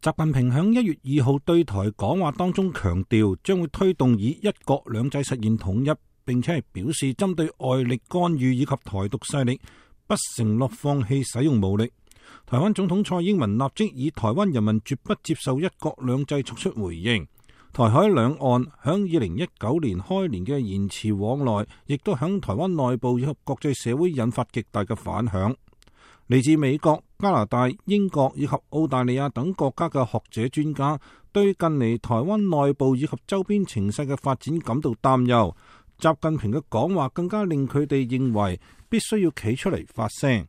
習近平喺1月2號對台講話當中強調，將會推動以一國兩制實現統一，並且係表示針對外力干預以及台獨勢力，不承諾放棄使用武力。台灣總統蔡英文立即以台灣人民絕不接受一國兩制作出回應。台海兩岸響2019年開年嘅言辭往來，亦都響台灣內部以及國際社會引發極大嘅反響。嚟自美國、加拿大、英國以及澳大利亞等國家嘅學者專家，對近嚟台灣內部以及周邊情勢嘅發展感到擔憂。習近平嘅講話更加令佢哋認為必須要企出嚟發聲，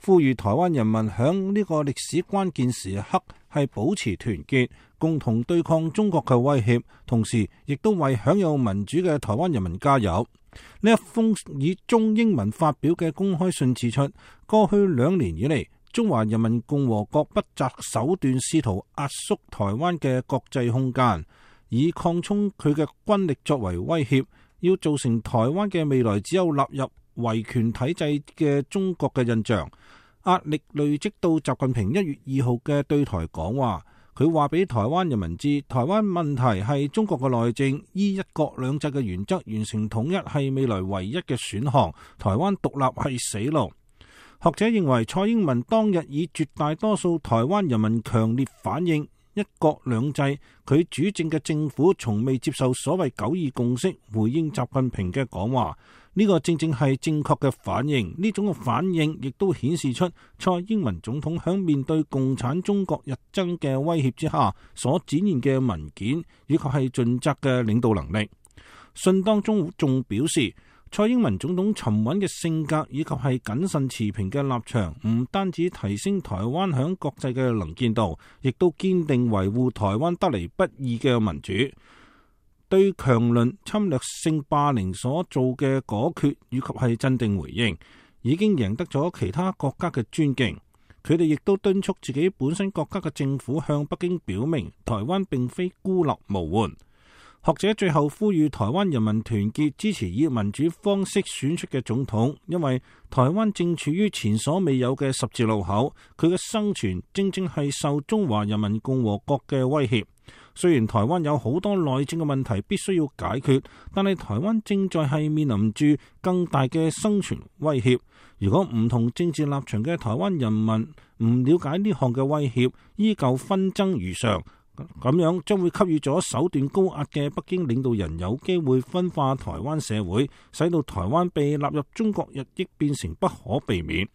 呼籲台灣人民響呢個歷史關鍵時刻係保持團結，共同對抗中國嘅威脅，同時亦都為享有民主嘅台灣人民加油。呢一封以中英文發表嘅公開信指出，過去2年以嚟，中華人民共和國不擇手段試圖壓縮台灣嘅國際空間，以擴充佢嘅軍力作為威脅，要造成台灣嘅未來只有納入維權體制嘅中國嘅印象。壓力累積到習近平1月2號嘅對台講話。佢話俾台灣人民知，台灣問題係中國嘅內政，依一國兩制嘅原則完成統一係未來唯一嘅選項，台灣獨立係死路。學者認為，蔡英文當日以絕大多數台灣人民強烈反映一國兩制，佢主政嘅政府從未接受所謂9·2共識，回應習近平嘅講話。呢個正正係正確嘅反應，呢種嘅反應亦都顯示出蔡英文總統響面對共產中國日增嘅威脅之下所展現嘅文件，以及係盡責嘅領導能力。信當中仲表示，蔡英文總統沉穩嘅性格以及係謹慎持平嘅立場，唔單止提升台灣響國際嘅能見度，亦都堅定維護台灣得嚟不易嘅民主。對強鄰侵略性霸凌所做嘅果決以及係鎮定回應，已經贏得咗其他國家嘅尊敬。佢哋亦都敦促自己本身國家嘅政府向北京表明，台灣並非孤立無援。學者最後呼籲台灣人民團結，支持以民主方式選出嘅總統，因為台灣正處於前所未有嘅十字路口，佢嘅生存正正係受中華人民共和國嘅威脅。雖然台灣有好多內政嘅問題必須要解決，但係台灣正在係面臨住更大嘅生存威脅。如果唔同政治立場嘅台灣人民唔了解呢項嘅威脅，依舊紛爭如常，咁樣將會給予咗手段高壓嘅北京領導人有機會分化台灣社會，使到台灣被納入中國日益變成不可避免。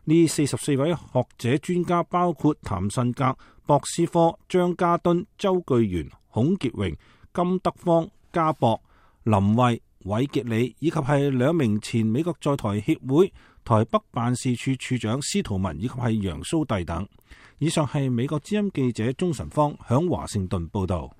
呢44位學者專家包括譚慎格、博斯科、張家敦、周巨源、孔傑榮、金德芳、家博、林慧、韋傑里，以及係2名前美國在台協會台北辦事處處長司徒文以及係楊蘇棣等。以上係美國之音記者鍾晨芳響華盛頓報道。